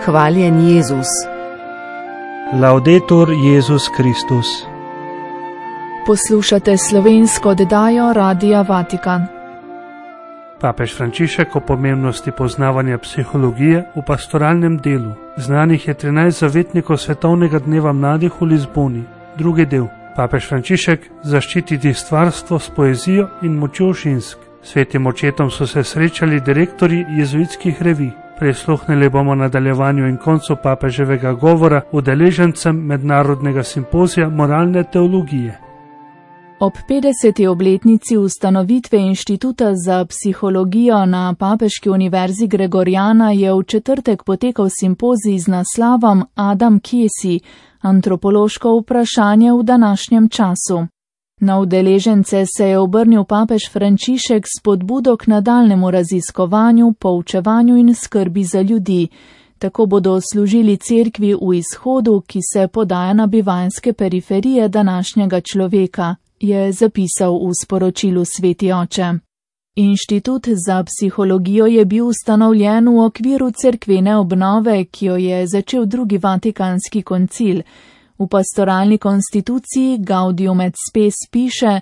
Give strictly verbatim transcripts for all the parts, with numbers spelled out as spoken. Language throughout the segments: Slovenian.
Hvaljen Jezus. Laudetur Jezus Kristus. Poslušate slovensko oddajo Radia Vatikan. Papež Frančišek o pomembnosti poznavanja psihologije v pastoralnem delu. Znanih je trinajst zavetnikov Svetovnega dneva mladih v Lizboni. Drugi del. Papež Frančišek zaščititi stvarstvo s poezijo in močjo žensk. Svetim očetom so se srečali direktorji jezuitskih revij. Prisluhnili bomo nadaljevanju in koncu papeževega govora udeležencem mednarodnega simpozija moralne teologije. Ob petdeseti obletnici ustanovitve Inštituta za psihologijo na Papeški univerzi Gregoriana je v četrtek potekal simpozij z naslovom Adam Kje si? Antropološko vprašanje v današnjem času. Na udeležence se je obrnil papež Frančišek s spodbudo k nadaljnemu raziskovanju, poučevanju in skrbi za ljudi. Tako bodo služili cerkvi v izhodu, ki se podaja na bivanjske periferije današnjega človeka, je zapisal v sporočilu Sveti oče. Inštitut za psihologijo je bil ustanovljen v okviru cerkvene obnove, ki jo je začel drugi vatikanski koncil. V pastoralni konstituciji Gaudium et Spes piše: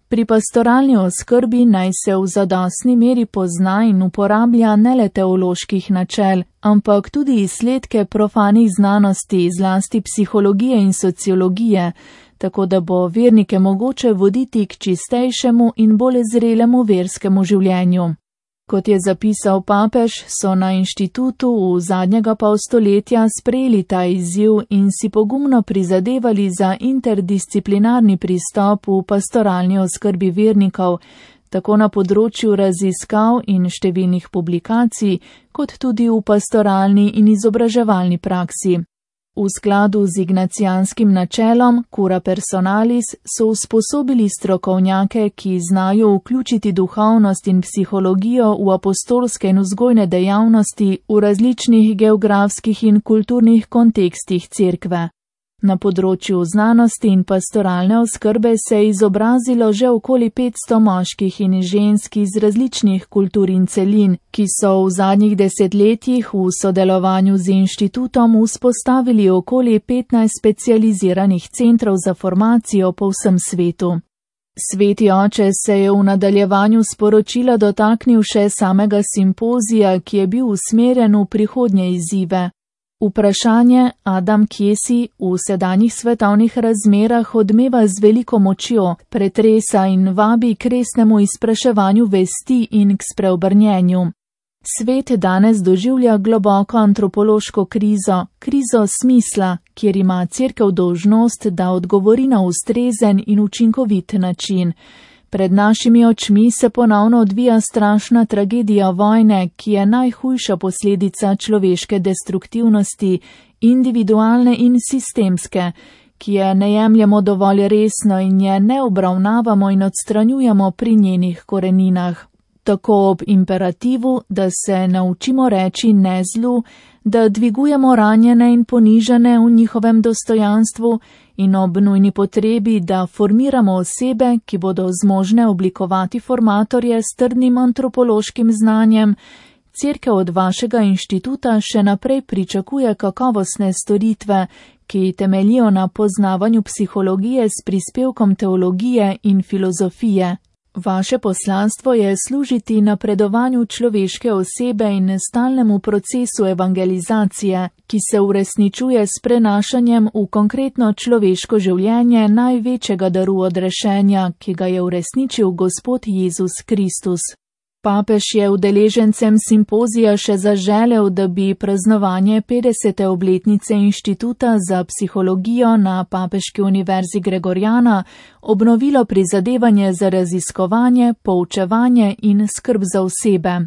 pri pastoralni oskrbi naj se v zadostni meri pozna in uporablja ne le teoloških načel, ampak tudi izsledke profanih znanosti, zlasti psihologije in sociologije, tako da bo vernike mogoče voditi k čistejšemu in bolj zrelemu verskemu življenju. Kot je zapisal papež, so na inštitutu v zadnjega pol stoletja sprejeli ta izziv in si pogumno prizadevali za interdisciplinarni pristop v pastoralni oskrbi vernikov, tako na področju raziskav in številnih publikacij, kot tudi v pastoralni in izobraževalni praksi. V skladu z ignacijanskim načelom cura personalis so usposobili strokovnjake, ki znajo vključiti duhovnost in psihologijo v apostolske in vzgojne dejavnosti v različnih geografskih in kulturnih kontekstih cerkve. Na področju znanosti in pastoralne oskrbe se je izobrazilo že okoli petsto moških in žensk iz različnih kultur in celin, ki so v zadnjih desetletjih v sodelovanju z inštitutom vzpostavili okoli petnajst specializiranih centrov za formacijo po vsem svetu. Sveti oče se je v nadaljevanju sporočila dotaknil še samega simpozija, ki je bil usmerjen v prihodnje izzive. Vprašanje Adam Kje si v sedanjih svetovnih razmerah odmeva z veliko močjo, pretresa in vabi k resnemu izpraševanju vesti in k spreobrnjenju. Svet danes doživlja globoko antropološko krizo, krizo smisla, kjer ima cerkev dolžnost, da odgovori na ustrezen in učinkovit način. Pred našimi očmi se ponovno odvija strašna tragedija vojne, ki je najhujša posledica človeške destruktivnosti, individualne in sistemske, ki je ne jemljemo dovolj resno in je ne obravnavamo in odstranjujemo pri njenih koreninah. Tako ob imperativu, da se naučimo reči ne zlu, da dvigujemo ranjene in ponižane v njihovem dostojanstvu in ob nujni potrebi, da formiramo osebe, ki bodo zmožne oblikovati formatorje s trdnim antropološkim znanjem, cerkev od vašega inštituta še naprej pričakuje kakovostne storitve, ki temeljijo na poznavanju psihologije s prispevkom teologije in filozofije. Vaše poslanstvo je služiti napredovanju človeške osebe in stalnemu procesu evangelizacije, ki se uresničuje s prenašanjem v konkretno človeško življenje največjega daru odrešenja, ki ga je uresničil Gospod Jezus Kristus. Papež je udeležencem simpozija še zaželel, da bi praznovanje petdesete obletnice Inštituta za psihologijo na Papeški univerzi Gregoriana obnovilo prizadevanje za raziskovanje, poučevanje in skrb za osebe.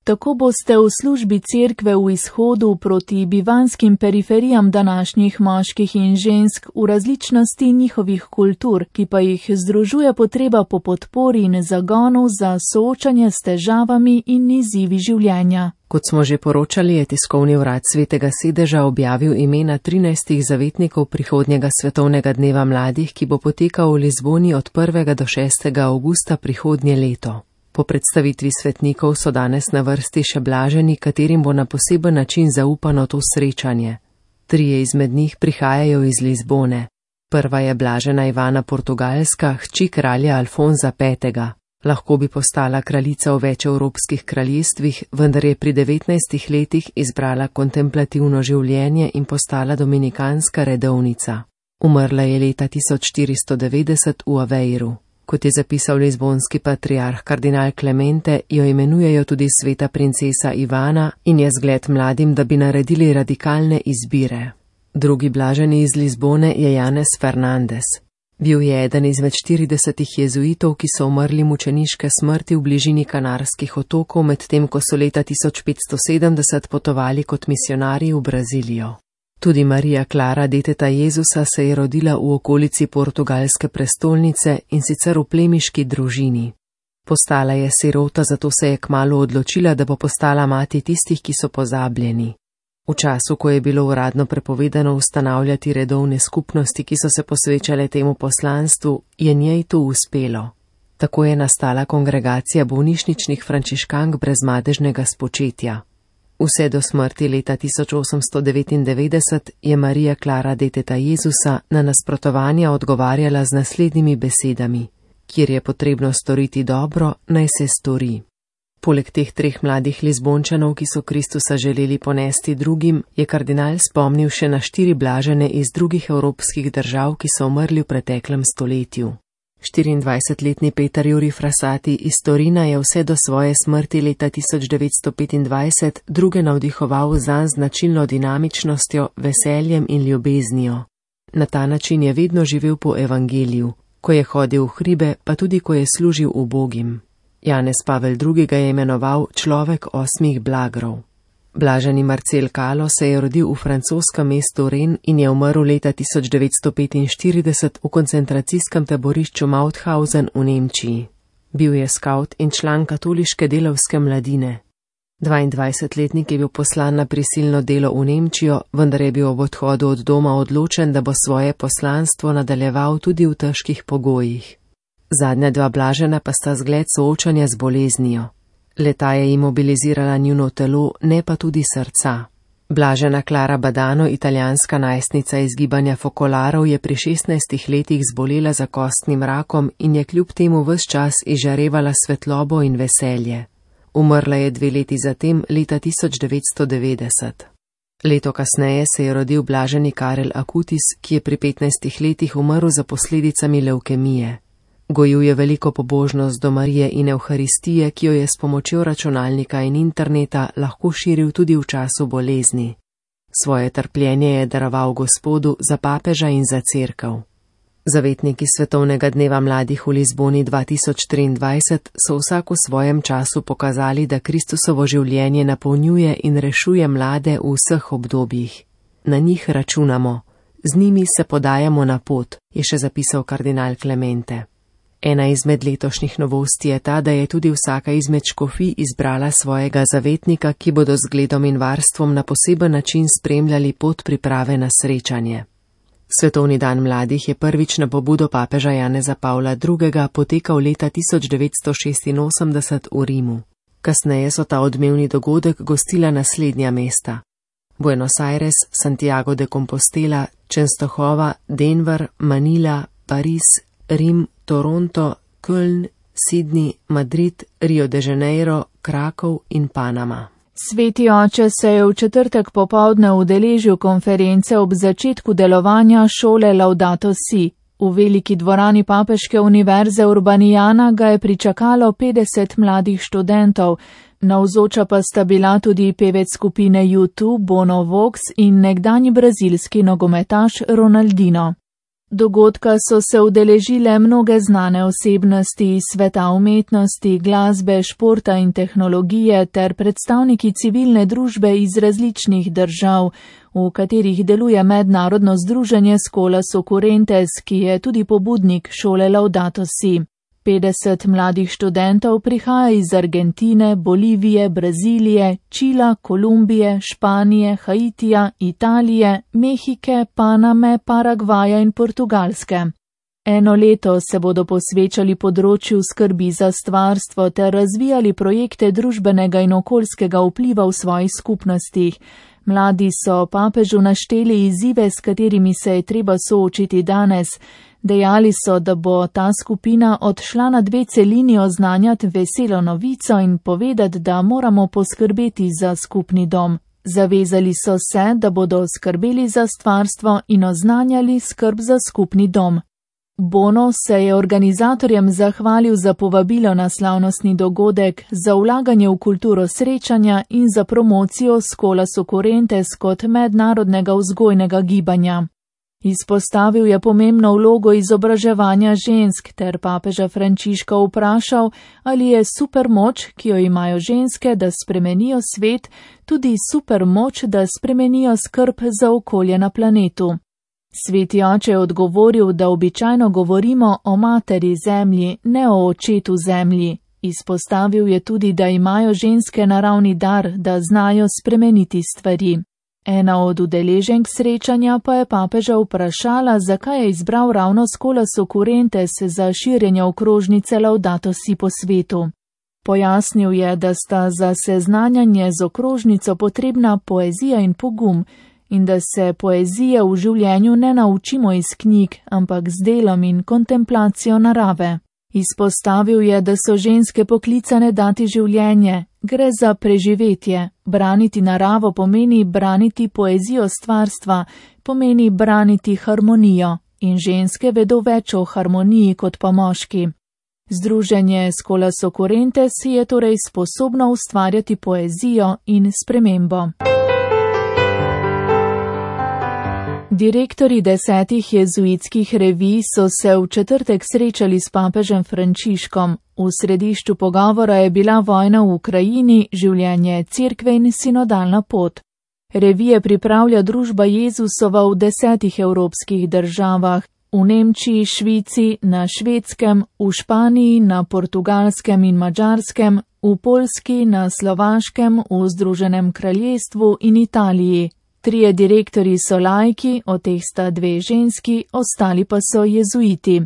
Tako boste v službi cerkve v izhodu proti bivanskim periferijam današnjih moških in žensk v različnosti njihovih kultur, ki pa jih združuje potreba po podpori in zagonu za soočanje s težavami in izzivi življenja. Kot smo že poročali, je tiskovni urad Svetega sedeža objavil imena trinajstih zavetnikov prihodnjega svetovnega dneva mladih, ki bo potekal v Lizboni od prvega do šestega avgusta prihodnje leto. Po predstavitvi svetnikov so danes na vrsti še blaženi, katerim bo na poseben način zaupano to srečanje. Trije izmed njih prihajajo iz Lizbone. Prva je blažena Ivana Portugalska, hči kralja Alfonza petega. Lahko bi postala kraljica v več evropskih kraljestvih, vendar je pri devetnajstih letih izbrala kontemplativno življenje in postala dominikanska redovnica. Umrla je leta tisoč štiristo devetdeset v Aveiru. Kot je zapisal lizbonski patriarh kardinal Clemente, jo imenujejo tudi sveta princesa Ivana in je zgled mladim, da bi naredili radikalne izbire. Drugi blaženi iz Lizbone je Janez Fernandez. Bil je eden izmed štiridesetih jezuitov, ki so umrli mučeniške smrti v bližini Kanarskih otokov, medtem ko so leta tisoč petsto sedemdeset potovali kot misionarji v Brazilijo. Tudi Marija Klara, deteta Jezusa, se je rodila v okolici portugalske prestolnice in sicer v plemiški družini. Postala je sirota, zato se je kmalu odločila, da bo postala mati tistih, ki so pozabljeni. V času, ko je bilo uradno prepovedano ustanavljati redovne skupnosti, ki so se posvečale temu poslanstvu, je njej to uspelo. Tako je nastala kongregacija bolnišničnih frančiškank brez madežnega spočetja. Vse do smrti leta tisoč osemsto devetindevetdeset je Marija Klara, deteta Jezusa, na nasprotovanja odgovarjala z naslednjimi besedami: kjer je potrebno storiti dobro, naj se stori. Poleg teh treh mladih Lizbončanov, ki so Kristusa želeli ponesti drugim, je kardinal spomnil še na štiri blažene iz drugih evropskih držav, ki so umrli v preteklem stoletju. štiriindvajsetletni Peter Juri Frassati iz Torina je vse do svoje smrti leta tisoč devetsto petindvajset druge navdihoval zanj značilno dinamičnostjo, veseljem in ljubeznijo. Na ta način je vedno živel po evangeliju, ko je hodil v hribe, pa tudi ko je služil ubogim. Janez Pavel drugi. ga je imenoval človek osmih blagrov. Blaženi Marcel Kalo se je rodil v francoskem mestu Rennes in je umrl leta tisoč devetsto petinštirideset v koncentracijskem taborišču Mauthausen v Nemčiji. Bil je skavt in član katoliške delavske mladine. dvaindvajsetletnik je bil poslan na prisilno delo v Nemčijo, vendar je bil ob odhodu od doma odločen, da bo svoje poslanstvo nadaljeval tudi v težkih pogojih. Zadnja dva blažena pa sta zgled soočanja z boleznijo. Leta je imobilizirala njuno telo, ne pa tudi srca. Blažena Klara Badano, italijanska najstnica iz gibanja Fokolarov, je pri šestnajstih letih zbolela za kostnim rakom in je kljub temu ves čas izžarevala svetlobo in veselje. Umrla je dve leti zatem, leta tisoč devetsto devetdeset. Leto kasneje se je rodil blaženi Karel Akutis, ki je pri petnajstih letih umrl za posledicami levkemije. Gojil je veliko pobožnost do Marije in Evharistije, ki jo je s pomočjo računalnika in interneta lahko širil tudi v času bolezni. Svoje trpljenje je daroval Gospodu za papeža in za cerkev. Zavetniki Svetovnega dneva mladih v Lizboni dva tisoč triindvajset so vsak v svojem času pokazali, da Kristusovo življenje napolnjuje in rešuje mlade v vseh obdobjih. Na njih računamo, z njimi se podajamo na pot, je še zapisal kardinal Clemente. Ena izmed letošnjih novosti je ta, da je tudi vsaka izmed škofij izbrala svojega zavetnika, ki bodo z zgledom in varstvom na poseben način spremljali pot priprave na srečanje. Svetovni dan mladih je prvič na pobudo papeža Janeza Pavla drugega. potekal leta tisoč devetsto šestinosemdeset v Rimu. Kasneje so ta odmevni dogodek gostila naslednja mesta: Buenos Aires, Santiago de Compostela, Częstochowa, Denver, Manila, Pariz, Rim, Toronto, Köln, Sydney, Madrid, Rio de Janeiro, Krakov in Panama. Sveti oče se je v četrtek popoldne udeležil konference ob začetku delovanja šole Laudato Si. V veliki dvorani Papeške univerze Urbanijana ga je pričakalo petdeset mladih študentov, navzoča pa sta bila tudi pevec skupine U dva Bono Vox in nekdanji brazilski nogometaš Ronaldinho. Dogodka so se udeležile mnoge znane osebnosti iz sveta umetnosti, glasbe, športa in tehnologije ter predstavniki civilne družbe iz različnih držav, v katerih deluje mednarodno združenje Scholas Occurrentes, ki je tudi pobudnik šole Laudato Si. petdeset mladih študentov prihaja iz Argentine, Bolivije, Brazilije, Čila, Kolumbije, Španije, Haitija, Italije, Mehike, Paname, Paragvaja in Portugalske. Eno leto se bodo posvečali področju skrbi za stvarstvo ter razvijali projekte družbenega in okoljskega vpliva v svojih skupnostih. Mladi so papežu našteli izzive, s katerimi se je treba soočiti danes. Dejali so, da bo ta skupina odšla na dve celini oznanjati veselo novico in povedati, da moramo poskrbeti za skupni dom. Zavezali so se, da bodo skrbeli za stvarstvo in oznanjali skrb za skupni dom. Bono se je organizatorjem zahvalil za povabilo na slavnostni dogodek, za vlaganje v kulturo srečanja in za promocijo Scholas Occurrentes kot mednarodnega vzgojnega gibanja. Izpostavil je pomembno vlogo izobraževanja žensk ter papeža Frančiška vprašal, ali je supermoč, ki jo imajo ženske, da spremenijo svet, tudi supermoč, da spremenijo skrb za okolje na planetu. Sveti oče je odgovoril, da običajno govorimo o materi zemlji, ne o očetu zemlji. Izpostavil je tudi, da imajo ženske naravni dar, da znajo spremeniti stvari. Ena od udeleženk srečanja pa je papeža vprašala, zakaj je izbral ravno Scholas Occurrentes za širjenje okrožnice Laudato Si po svetu. Pojasnil je, da sta za seznanjanje z okrožnico potrebna poezija in pogum in da se poezije v življenju ne naučimo iz knjig, ampak z delom in kontemplacijo narave. Izpostavil je, da so ženske poklicane dati življenje, gre za preživetje. Braniti naravo pomeni braniti poezijo stvarstva, pomeni braniti harmonijo in ženske vedo več o harmoniji kot pa moški. Združenje Scholas Occurrentes je torej sposobno ustvarjati poezijo in spremembo. Direktorji desetih jezuitskih revij so se v četrtek srečali s papežem Frančiškom. V središču pogovora je bila vojna v Ukrajini, življenje cerkve in sinodalna pot. Revije pripravlja družba Jezusova v desetih evropskih državah, v Nemčiji, Švici, na Švedskem, v Španiji, na Portugalskem in Madžarskem, v Poljski, na Slovaškem, v Združenem kraljestvu in Italiji. Trije direktorji so laiki, od teh sta dve ženski, ostali pa so jezuiti.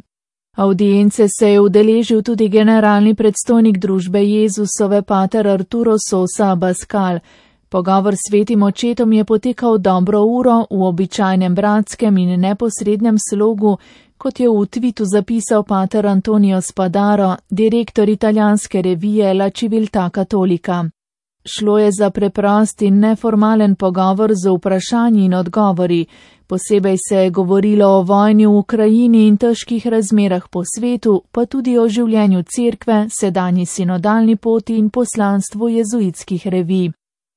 Avdience se je udeležil tudi generalni predstojnik družbe Jezusove pater Arturo Sosa Abascal. Pogovor s svetim očetom je potekal dobro uro v običajnem bratskem in neposrednem slogu, kot je v tvitu zapisal pater Antonio Spadaro, direktor italijanske revije La Civiltà Cattolica. Šlo je za preprost in neformalen pogovor z vprašanji in odgovori. Posebej se je govorilo o vojni v Ukrajini in težkih razmerah po svetu, pa tudi o življenju cerkve, sedanji sinodalni poti in poslanstvu jezuitskih revij.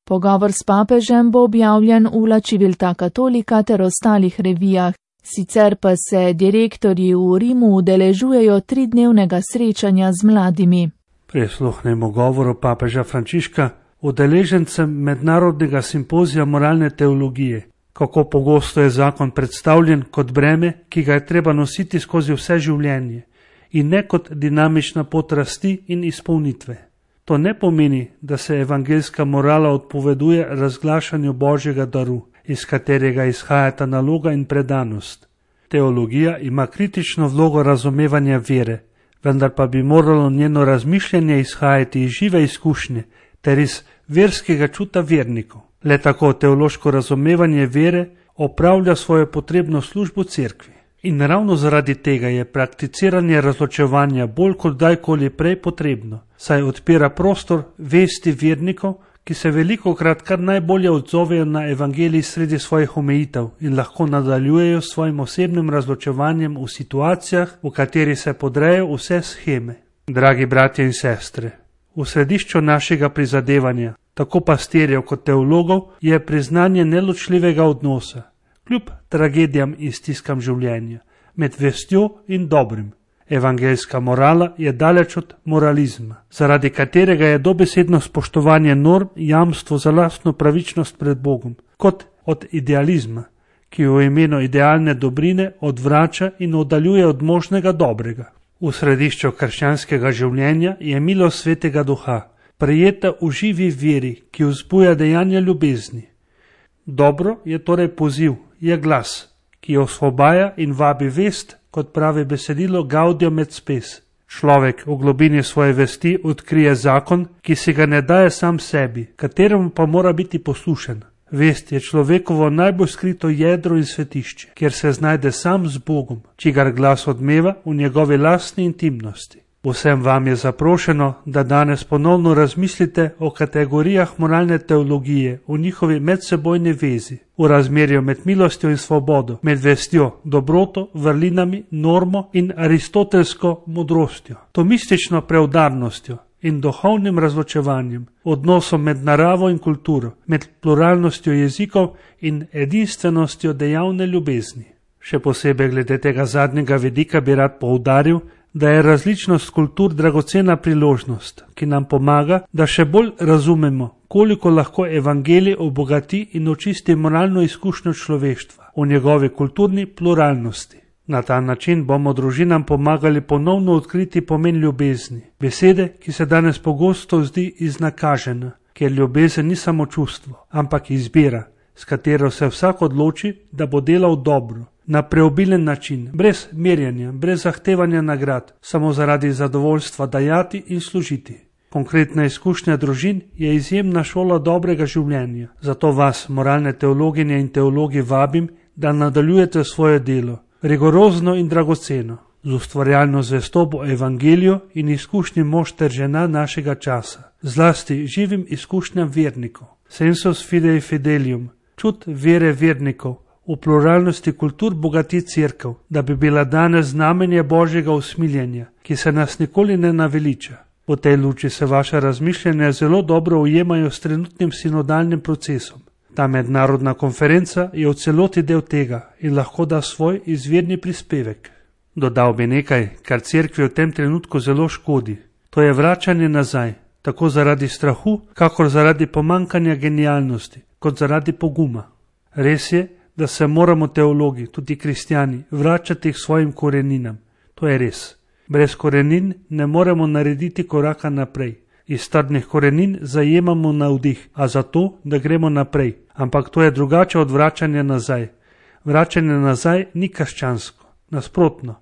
Pogovor s papežem bo objavljen v La Civiltà Cattolica ter ostalih revijah. Sicer pa se direktorji v Rimu udeležujejo tridnevnega srečanja z mladimi. Prisluhnemo govoru papeža Frančiška, udeležencem mednarodnega simpozija moralne teologije. Kako pogosto je zakon predstavljen kot breme, ki ga je treba nositi skozi vse življenje, in ne kot dinamična pot rasti in izpolnitve. To ne pomeni, da se evangeljska morala odpoveduje razglašanju Božjega daru, iz katerega izhajata naloga in predanost. Teologija ima kritično vlogo razumevanja vere, vendar pa bi moralo njeno razmišljanje izhajati iz žive izkušnje ter iz verskega čuta vernikov. Le tako teološko razumevanje vere opravlja svojo potrebno službo cerkvi. In ravno zaradi tega je prakticiranje razločevanja bolj kot dajkoli prej potrebno, saj odpira prostor vesti vernikov, ki se velikokrat kar najbolje odzovejo na evangelij sredi svojih omejitev in lahko nadaljujejo s svojim osebnim razločevanjem v situacijah, v kateri se podrejo vse sheme. Dragi bratje in sestre, v središču našega prizadevanja, tako pastirjev kot teologov, je priznanje neločljivega odnosa, kljub tragedijam in stiskam življenja, med vestjo in dobrim. Evangeljska morala je daleč od moralizma, zaradi katerega je dobesedno spoštovanje norm jamstvo za lastno pravičnost pred Bogom, kot od idealizma, ki v imenu idealne dobrine odvrača in oddaljuje od možnega dobrega. V središču krščanskega življenja je milost Svetega Duha, prejeta v živi veri, ki vzbuja dejanja ljubezni. Dobro je torej poziv, je glas, ki ki osvobaja in vabi vest, kot pravi besedilo Gaudium et Spes. Človek v globini svoje vesti odkrije zakon, ki si ga ne daje sam sebi, kateremu pa mora biti poslušen. Vest je človekovo najbolj skrito jedro in svetišče, kjer se znajde sam z Bogom, čigar glas odmeva v njegovi lastni intimnosti. Vsem vam je zaprošeno, da danes ponovno razmislite o kategorijah moralne teologije, o njihovi medsebojni vezi, v razmerju med milostjo in svobodo, med vestjo, dobroto, vrlinami, normo in aristotelsko modrostjo, tomistično preudarnostjo in duhovnim razločevanjem, odnosom med naravo in kulturo, med pluralnostjo jezikov in edinstvenostjo dejavne ljubezni. Še posebej glede tega zadnjega vidika bi rad poudaril, da je različnost kultur dragocena priložnost, ki nam pomaga, da še bolj razumemo, koliko lahko evangelij obogati in očisti moralno izkušnjo človeštva v njegovi kulturni pluralnosti. Na ta način bomo družinam pomagali ponovno odkriti pomen ljubezni, besede, ki se danes pogosto zdi iznakažena, ker ljubezen ni samo čustvo, ampak izbira, s katero se vsak odloči, da bo delal dobro, na preobilen način, brez merjenja, brez zahtevanja nagrad, samo zaradi zadovoljstva dajati in služiti. Konkretna izkušnja družin je izjemna šola dobrega življenja, zato vas, moralne teologinje in teologi, vabim, da nadaljujete svoje delo, rigorozno in dragoceno, z ustvarjalno zvestobo evangeliju in izkušnji mož ter žena našega časa, zlasti živim izkušnjam vernikov, sensus fidei fidelium, čut vere vernikov, v pluralnosti kultur bogati cerkev, da bi bila danes znamenje Božjega usmiljenja, ki se nas nikoli ne naveliča. V tej luči se vaše razmišljanja zelo dobro ujemajo s trenutnim sinodalnim procesom. Ta mednarodna konferenca je v celoti del tega in lahko da svoj izvirni prispevek. Dodal bi nekaj, kar cerkvi v tem trenutku zelo škodi. To je vračanje nazaj, tako zaradi strahu, kakor zaradi pomankanja genialnosti, kot zaradi poguma. Res je, da se moramo teologi, tudi kristjani, vračati k svojim koreninam. To je res. Brez korenin ne moremo narediti koraka naprej. Iz trdnih korenin zajemamo navdih, a zato, da gremo naprej. Ampak to je drugače od vračanja nazaj. Vračanje nazaj ni krščansko. Nasprotno.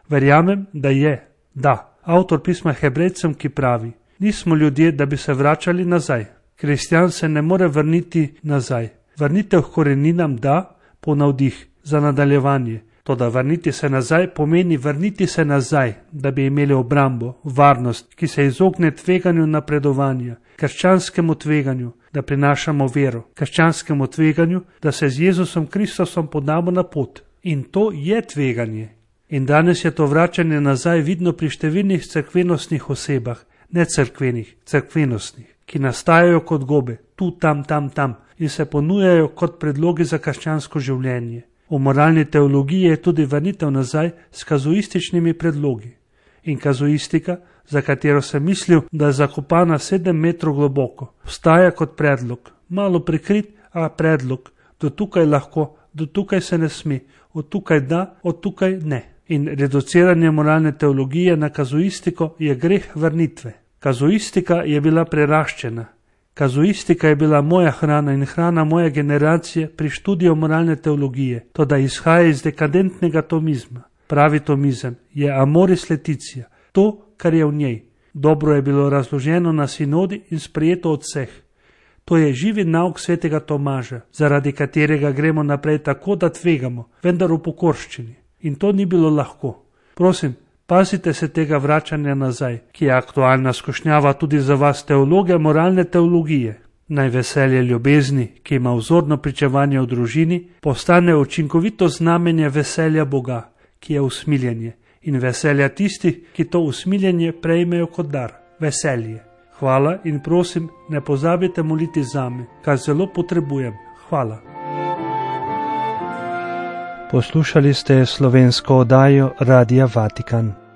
Verjamem, da je. Da. Avtor pisma Hebrejcem, ki pravi: nismo ljudje, da bi se vračali nazaj. Kristjan se ne more vrniti nazaj. Vrnitev k koreninam da, po navdih, za nadaljevanje. Toda vrniti se nazaj pomeni vrniti se nazaj, da bi imeli obrambo, varnost, ki se izogne tveganju napredovanja, krščanskemu tveganju, da prinašamo vero, krščanskemu tveganju, da se z Jezusom Kristusom podamo na pot. In to je tveganje. In danes je to vračanje nazaj vidno pri številnih cerkvenostnih osebah, ne cerkvenih, cerkvenostnih, ki nastajajo kot gobe, tu, tam, tam, tam, in se ponujajo kot predlogi za krščansko življenje. V moralni teologiji je tudi vrnitev nazaj s kazuističnimi predlogi. In kazuistika, za katero sem mislil, da je zakopana sedem metrov globoko, vstaja kot predlog, malo prikrit, a predlog, do tukaj lahko, do tukaj se ne sme, od tukaj da, od tukaj ne. In reduciranje moralne teologije na kazuistiko je greh vrnitve. Kazuistika je bila preraščena. Kazuistika je bila moja hrana in hrana moje generacije pri študiju moralne teologije, to da izhaja iz dekadentnega tomizma. Pravi tomizem je amoris leticia, to, kar je v njej. Dobro je bilo razloženo na sinodi in sprejeto od vseh. To je živi nauk svetega Tomaža, zaradi katerega gremo naprej tako, da tvegamo, vendar v pokorščini. In to ni bilo lahko. Prosim, pazite se tega vračanja nazaj, ki je aktualna skušnjava tudi za vas teologe moralne teologije. Naj veselje ljubezni, ki ima vzorno pričevanje v družini, postane učinkovito znamenje veselja Boga, ki je usmiljenje, in veselja tistih, ki to usmiljenje prejmejo kot dar, veselje. Hvala in prosim, ne pozabite moliti zame, kar zelo potrebujem. Hvala. Poslušali ste slovensko oddajo Radia Vatikan.